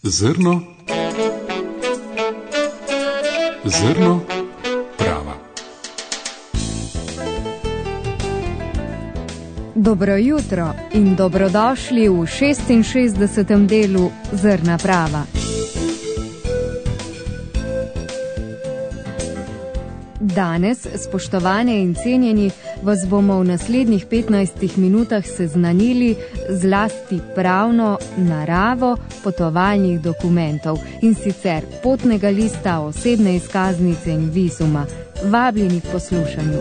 Zrno prava. Dobro jutro in dobrodošli v 66. delu Zrna prava. Danes, spoštovane in cenjeni, vas bomo v naslednjih 15 minutah seznanili zlasti pravno naravo potovalnih dokumentov, in sicer potnega lista, osebne izkaznice in vizuma. Vabljeni k poslušanju.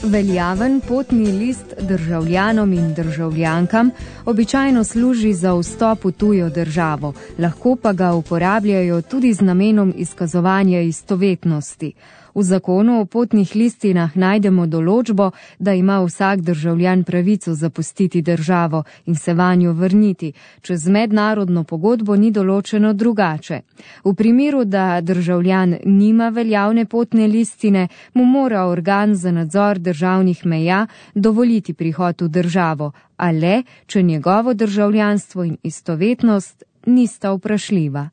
Veljaven potni list državljanom in državljankam običajno služi za vstop v tujo državo, lahko pa ga uporabljajo tudi z namenom izkazovanja istovetnosti. V zakonu o potnih listinah najdemo določbo, da ima vsak državljan pravico zapustiti državo in se vanjo vrniti, če z mednarodno pogodbo ni določeno drugače. V primeru, da državljan nima veljavne potne listine, mu mora organ za nadzor državnih meja dovoliti prihod v državo, a le, če njegovo državljanstvo in istovetnost nista vprašljiva.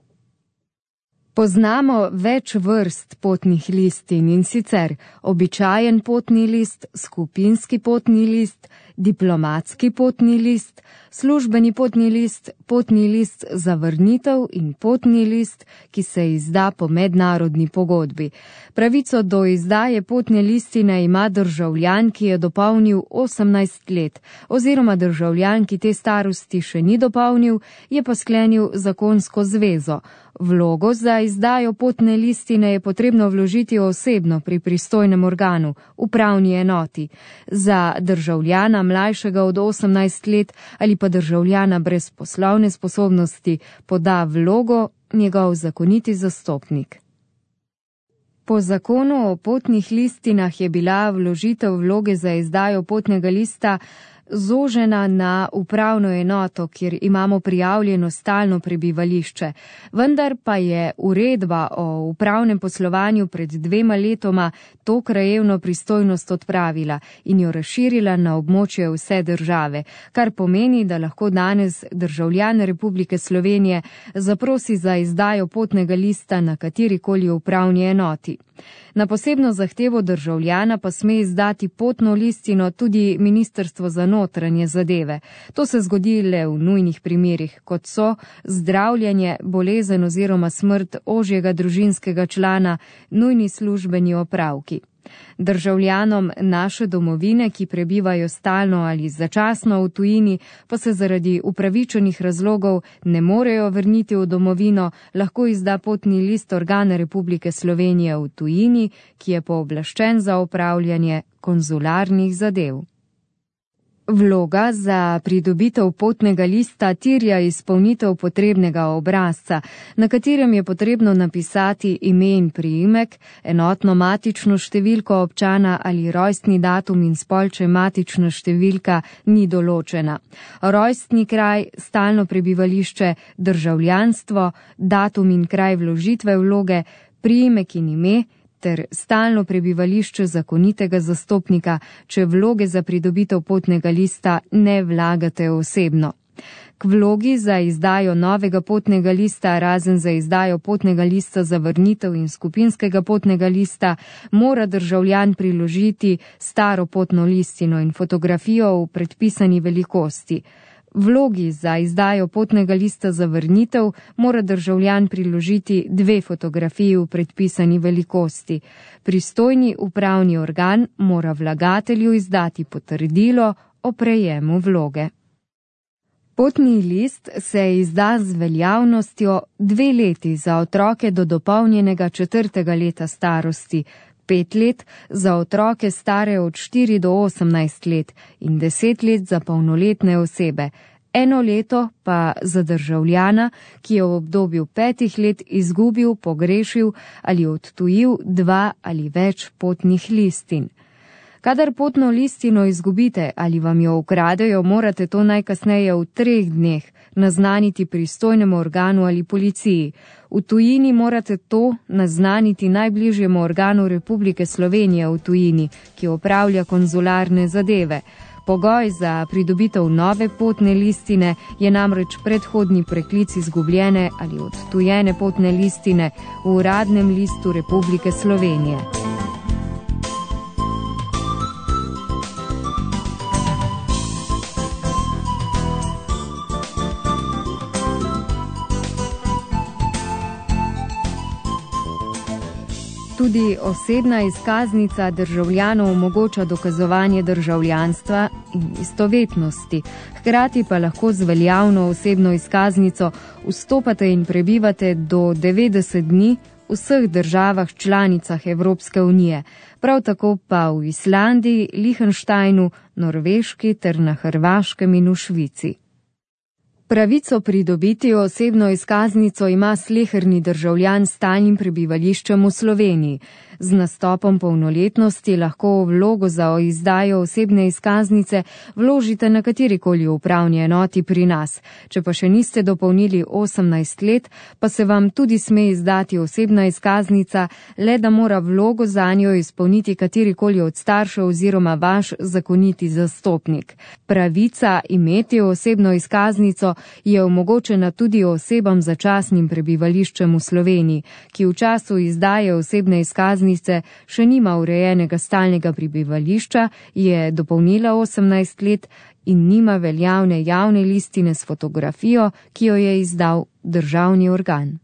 Poznamo več vrst potnih listin, in sicer običajen potni list, skupinski potni list, diplomatski potni list, službeni potni list za vrnitev in potni list, ki se izda po mednarodni pogodbi. Pravico do izdaje potne listine ima državljan, ki je dopolnil 18 let, oziroma državljan, ki te starosti še ni dopolnil, je pa sklenil zakonsko zvezo. Vlogo za izdajo potne listine je potrebno vložiti osebno pri pristojnem organu, upravni enoti. Za državljana mlajšega od 18 let ali pa državljana brez poslovne sposobnosti poda vlogo njegov zakoniti zastopnik. Po zakonu o potnih listinah je bila vložitev vloge za izdajo potnega lista zožena na upravno enoto, kjer imamo prijavljeno stalno prebivališče. Vendar pa je uredba o upravnem poslovanju pred 2 letoma to krajevno pristojnost odpravila in jo razširila na območje vse države, kar pomeni, da lahko danes državljan Republike Slovenije zaprosi za izdajo potnega lista na katerikoli upravni enoti. Na posebno zahtevo državljana pa sme izdati potno listino tudi Ministrstvo za notranje zadeve. To se zgodi le v nujnih primerih, kot so zdravljenje, bolezen oziroma smrt ožjega družinskega člana, nujni službeni opravki. Državljanom naše domovine, ki prebivajo stalno ali začasno v tujini, pa se zaradi upravičenih razlogov ne morejo vrniti v domovino, lahko izda potni list organa Republike Slovenije v tujini, ki je pooblaščen za opravljanje konzularnih zadev. Vloga za pridobitev potnega lista terja izpolnitev potrebnega obrazca, na katerem je potrebno napisati ime in priimek, enotno matično številko občana ali rojstni datum in spol, če matična številka ni določena. Rojstni kraj, stalno prebivališče, državljanstvo, datum in kraj vložitve vloge, priimek in ime, ter stalno prebivališče zakonitega zastopnika, če vloge za pridobitev potnega lista ne vlagate osebno. K vlogi za izdajo novega potnega lista, razen za izdajo potnega lista za vrnitev in skupinskega potnega lista, mora državljan priložiti staro potno listino in fotografijo v predpisani velikosti. Vlogi za izdajo potnega lista za vrnitev mora državljan priložiti 2 fotografiji v predpisani velikosti. Pristojni upravni organ mora vlagatelju izdati potrdilo o prejemu vloge. Potni list se izda z veljavnostjo 2 leti za otroke do dopolnjenega 4. leta starosti, 5 let za otroke stare od 4 do 18 let in 10 let za polnoletne osebe, 1 leto pa za državljana, ki je v obdobju 5 let izgubil, pogrešil ali odtujil 2 ali več potnih listin. Kadar potno listino izgubite ali vam jo ukradejo, morate to najkasneje v 3 dneh naznaniti pristojnemu organu ali policiji. V tujini morate to naznaniti najbližjemu organu Republike Slovenije v tujini, ki opravlja konzularne zadeve. Pogoj za pridobitev nove potne listine je namreč predhodni preklic izgubljene ali odtujene potne listine v Uradnem listu Republike Slovenije. Tudi osebna izkaznica državljanov omogoča dokazovanje državljanstva in istovetnosti, hkrati pa lahko z veljavno osebno izkaznico vstopate in prebivate do 90 dni v vseh državah članicah Evropske unije, prav tako pa v Islandiji, Liechtensteinu, Norveški ter na Hrvaškem in v Švici. Pravico pridobiti osebno izkaznico ima sleherni državljan s stalnim prebivališčem v Sloveniji. Z nastopom polnoletnosti lahko vlogo za izdajo osebne izkaznice vložite na katerikoli upravni enoti pri nas. Če pa še niste dopolnili 18 let, pa se vam tudi sme izdati osebna izkaznica, le da mora vlogo zanjo izpolniti katerikoli od staršev oziroma vaš zakoniti zastopnik. Pravica imeti osebno izkaznico je omogočena tudi osebam z začasnim prebivališčem v Sloveniji, ki v času izdaje osebne izkaznice še nima urejenega stalnega prebivališča, je dopolnila 18 let in nima veljavne javne listine s fotografijo, ki jo je izdal državni organ.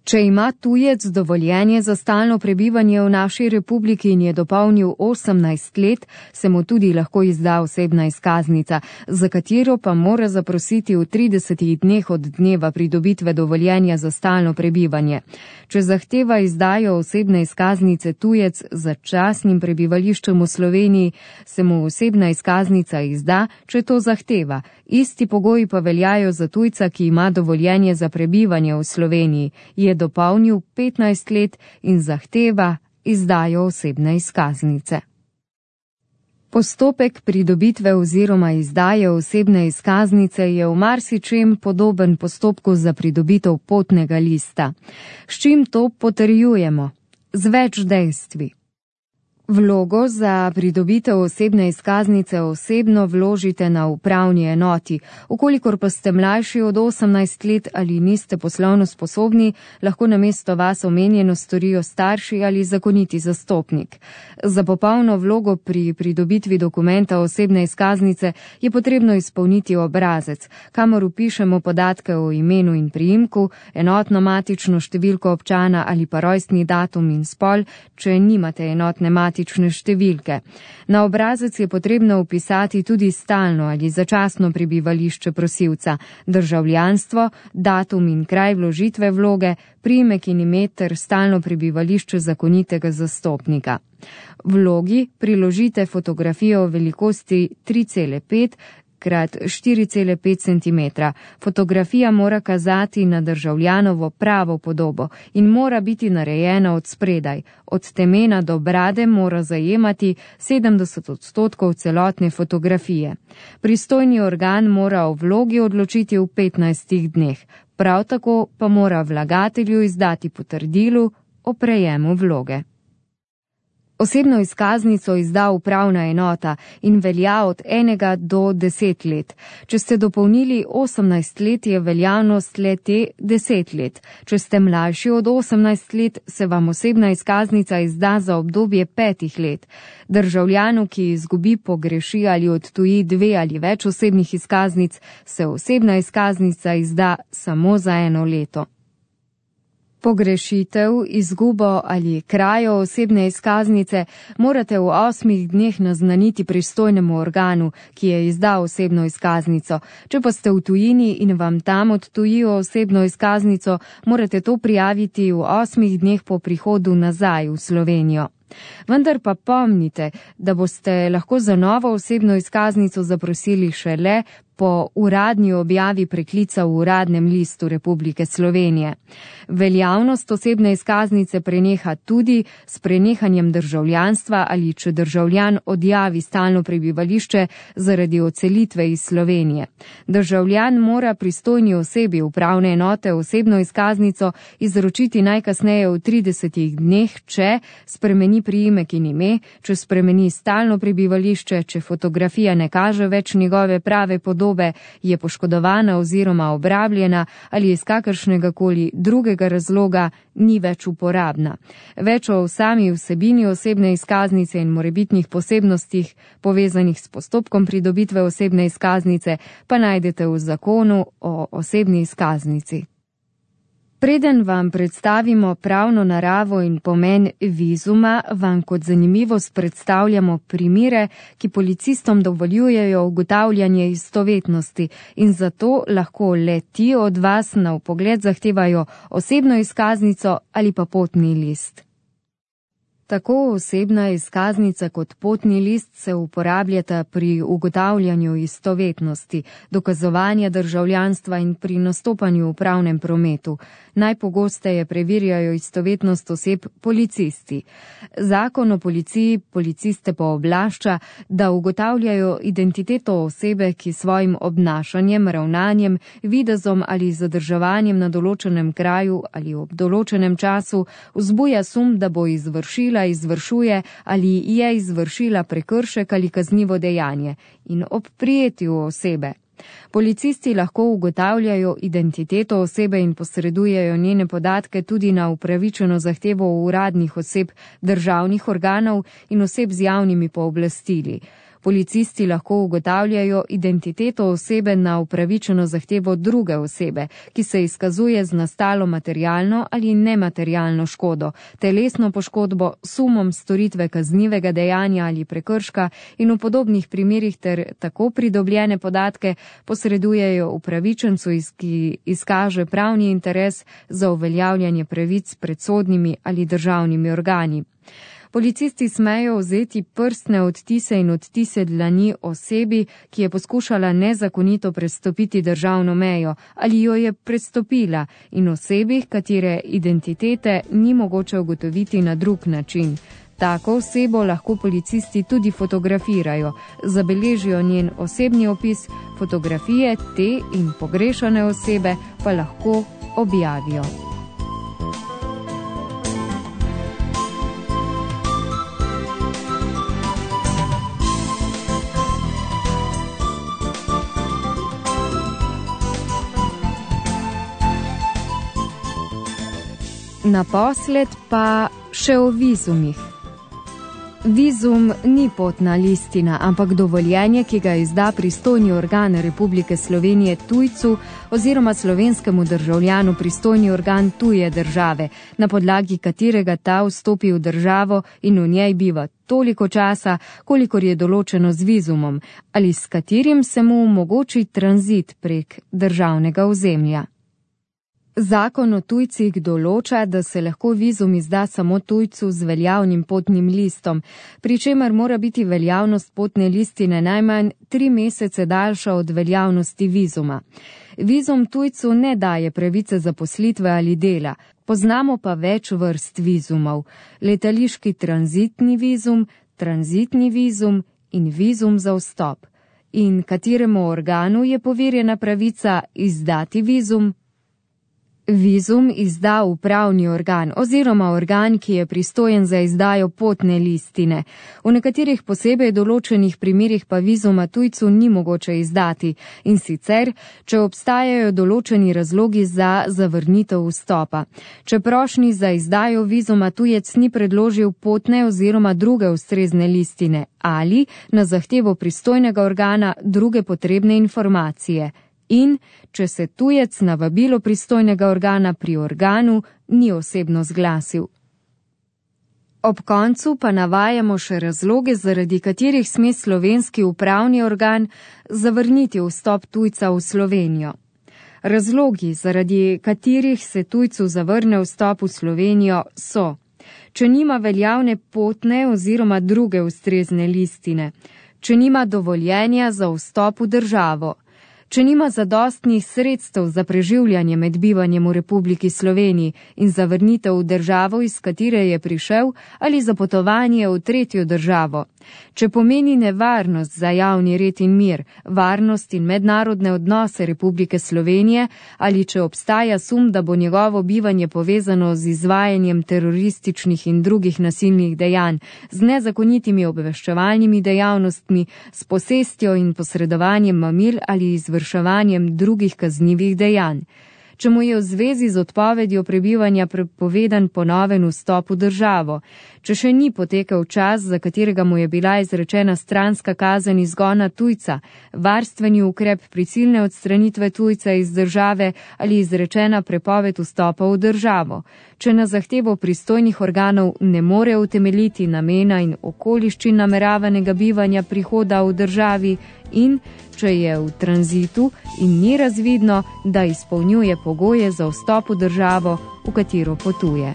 Če ima tujec dovoljenje za stalno prebivanje v naši republiki in je dopolnil 18 let, se mu tudi lahko izda osebna izkaznica, za katero pa mora zaprositi v 30 dneh od dneva pridobitve dovoljenja za stalno prebivanje. Če zahteva izdajo osebne izkaznice tujec z začasnim prebivališčem v Sloveniji, se mu osebna izkaznica izda, če to zahteva. Isti pogoji pa veljajo za tujca, ki ima dovoljenje za prebivanje v Sloveniji, je dopolnil 15 let in zahteva izdajo osebne izkaznice. Postopek pridobitve oziroma izdaje osebne izkaznice je v marsičem podoben postopku za pridobitev potnega lista. S čim to potrjujemo? Z več dejstvi. Vlogo za pridobitev osebne izkaznice osebno vložite na upravni enoti. Ukolikor pa ste mlajši od 18 let ali niste poslovno sposobni, lahko namesto vas omenjeno storijo starši ali zakoniti zastopnik. Za popolno vlogo pri pridobitvi dokumenta osebne izkaznice je potrebno izpolniti obrazec, kamor vpišemo podatke o imenu in priimku, enotno matično številko občana ali pa rojstni datum in spol, če nimate enotne matične številke. Na obrazec je potrebno vpisati tudi stalno ali začasno prebivališče prosilca, državljanstvo, datum in kraj vložitve vloge, priimek in ime ter stalno prebivališče zakonitega zastopnika. Vlogi priložite fotografijo v velikosti 3,5 krat 4,5 cm. Fotografija mora kazati na državljanovo pravo podobo in mora biti narejena od spredaj. Od temena do brade mora zajemati 70% celotne fotografije. Pristojni organ mora o vlogi odločiti v 15 dneh. Prav tako pa mora vlagatelju izdati potrdilo o prejemu vloge. Osebno izkaznico izda upravna enota in velja od 1 do 10 let. Če ste dopolnili 18 let, je veljavnost le te 10 let. Če ste mlajši od 18 let, se vam osebna izkaznica izda za obdobje 5 let. Državljanu, ki izgubi, pogreši ali odtuji 2 ali več osebnih izkaznic, se osebna izkaznica izda samo za 1 leto. Pogrešitev, izgubo ali krajo osebne izkaznice morate v 8 dneh naznaniti pristojnemu organu, ki je izdal osebno izkaznico. Če pa ste v tujini in vam tam odtujijo osebno izkaznico, morate to prijaviti v 8 dneh po prihodu nazaj v Slovenijo. Vendar pa pomnite, da boste lahko za novo osebno izkaznico zaprosili šele po uradni objavi preklica v Uradnem listu Republike Slovenije. Veljavnost osebne izkaznice preneha tudi s prenehanjem državljanstva ali če državljan odjavi stalno prebivališče zaradi odselitve iz Slovenije. Državljan mora pristojni osebi upravne enote osebno izkaznico izročiti najkasneje v 30 dneh, če spremeni priimek in ime, če spremeni stalno prebivališče, če fotografija ne kaže več njegove prave podobe, je poškodovana oziroma obrabljena ali iz kakršnega koli drugega razloga ni več uporabna. Več o sami vsebini osebne izkaznice in morebitnih posebnostih povezanih s postopkom pridobitve osebne izkaznice pa najdete v zakonu o osebni izkaznici. Preden vam predstavimo pravno naravo in pomen vizuma, vam kot zanimivost predstavljamo primere, ki policistom dovoljujejo ugotavljanje istovetnosti in zato lahko le ti od vas na vpogled zahtevajo osebno izkaznico ali pa potni list. Tako osebna izkaznica kot potni list se uporabljata pri ugotavljanju istovetnosti, dokazovanja državljanstva in pri nastopanju v pravnem prometu. Najpogosteje preverjajo istovetnost oseb policisti. Zakon o policiji policiste pooblašča, da ugotavljajo identiteto osebe, ki svojim obnašanjem, ravnanjem, videzom ali zadrževanjem na določenem kraju ali ob določenem času vzbuja sum, da bo izvršuje ali je izvršila prekršek ali kaznivo dejanje in ob prijetju osebe. Policisti lahko ugotavljajo identiteto osebe in posredujejo njene podatke tudi na upravičeno zahtevo uradnih oseb, državnih organov in oseb z javnimi pooblastili. Policisti lahko ugotavljajo identiteto osebe na upravičeno zahtevo druge osebe, ki se izkazuje z nastalo materialno ali nematerialno škodo, telesno poškodbo, sumom storitve kaznivega dejanja ali prekrška in v podobnih primerih ter tako pridobljene podatke posredujejo upravičencu, ki izkaže pravni interes za uveljavljanje pravic pred sodnimi ali državnimi organi. Policisti smejo vzeti prstne odtise in odtise dlani osebi, ki je poskušala nezakonito prestopiti državno mejo ali jo je prestopila, in osebi, katere identitete ni mogoče ugotoviti na drug način. Tako osebo lahko policisti tudi fotografirajo, zabeležijo njen osebni opis, fotografije te in pogrešane osebe pa lahko objavijo. Naposled pa še o vizumih. Vizum ni potna listina, ampak dovoljenje, ki ga izda pristojni organ Republike Slovenije tujcu oziroma slovenskemu državljanu pristojni organ tuje države, na podlagi katerega ta vstopi v državo in v njej biva toliko časa, kolikor je določeno z vizumom, ali s katerim se mu omogoči tranzit prek državnega ozemlja. Zakon o tujcih določa, da se lahko vizum izda samo tujcu z veljavnim potnim listom, pri čemer mora biti veljavnost potne listine najmanj 3 mesece daljša od veljavnosti vizuma. Vizum tujcu ne daje pravice zaposlitve ali dela, poznamo pa več vrst vizumov: letališki tranzitni vizum in vizum za vstop. In kateremu organu je poverjena pravica izdati vizum? Vizum izda upravni organ oziroma organ, ki je pristojen za izdajo potne listine. V nekaterih posebej določenih primerih pa vizuma tujcu ni mogoče izdati, in sicer, če obstajajo določeni razlogi za zavrnitev vstopa. Če prošnji za izdajo vizuma tujec ni predložil potne oziroma druge ustrezne listine ali na zahtevo pristojnega organa druge potrebne informacije. In če se tujec na vabilo pristojnega organa pri organu ni osebno zglasil. Ob koncu pa navajamo še razloge, zaradi katerih sme slovenski upravni organ zavrniti vstop tujca v Slovenijo. Razlogi, zaradi katerih se tujcu zavrne vstop v Slovenijo, so: če nima veljavne potne oziroma druge ustrezne listine, če nima dovoljenja za vstop v državo, Če nima zadostnih sredstev za preživljanje med bivanjem v Republiki Sloveniji in za vrnitev v državo, iz katere je prišel, ali za potovanje v tretjo državo. Če pomeni nevarnost za javni red in mir, varnost in mednarodne odnose Republike Slovenije, ali če obstaja sum, da bo njegovo bivanje povezano z izvajanjem terorističnih in drugih nasilnih dejanj, z nezakonitimi obveščevalnimi dejavnostmi, s posestjo in posredovanjem mamil ali izvrševanjem drugih kaznivih dejanj. Če mu je v zvezi z odpovedjo prebivanja prepovedan ponoven vstop v državo, če še ni potekel čas, za katerega mu je bila izrečena stranska kazen izgona tujca, varstveni ukrep prisilne odstranitve tujca iz države ali izrečena prepoved vstopa v državo, če na zahtevo pristojnih organov ne more utemeljiti namena in okoliščin nameravanega bivanja prihoda v državi in če je v tranzitu in ni razvidno, da izpolnjuje pogoje za vstop v državo, v katero potuje.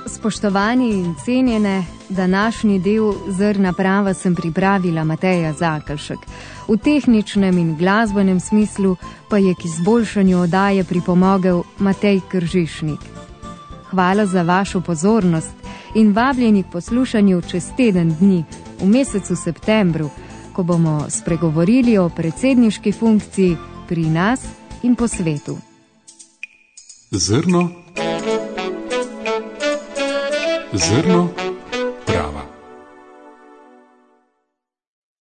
Spoštovani in cenjene, današnji del Zrna prava sem pripravila Mateja Zakelšek. V tehničnem in glasbenem smislu pa je k izboljšanju oddaje pripomogel Matej Kržišnik. Hvala za vašo pozornost in vabljeni k poslušanju čez teden dni, v mesecu septembru, ko bomo spregovorili o predsedniški funkciji pri nas in po svetu. Zrno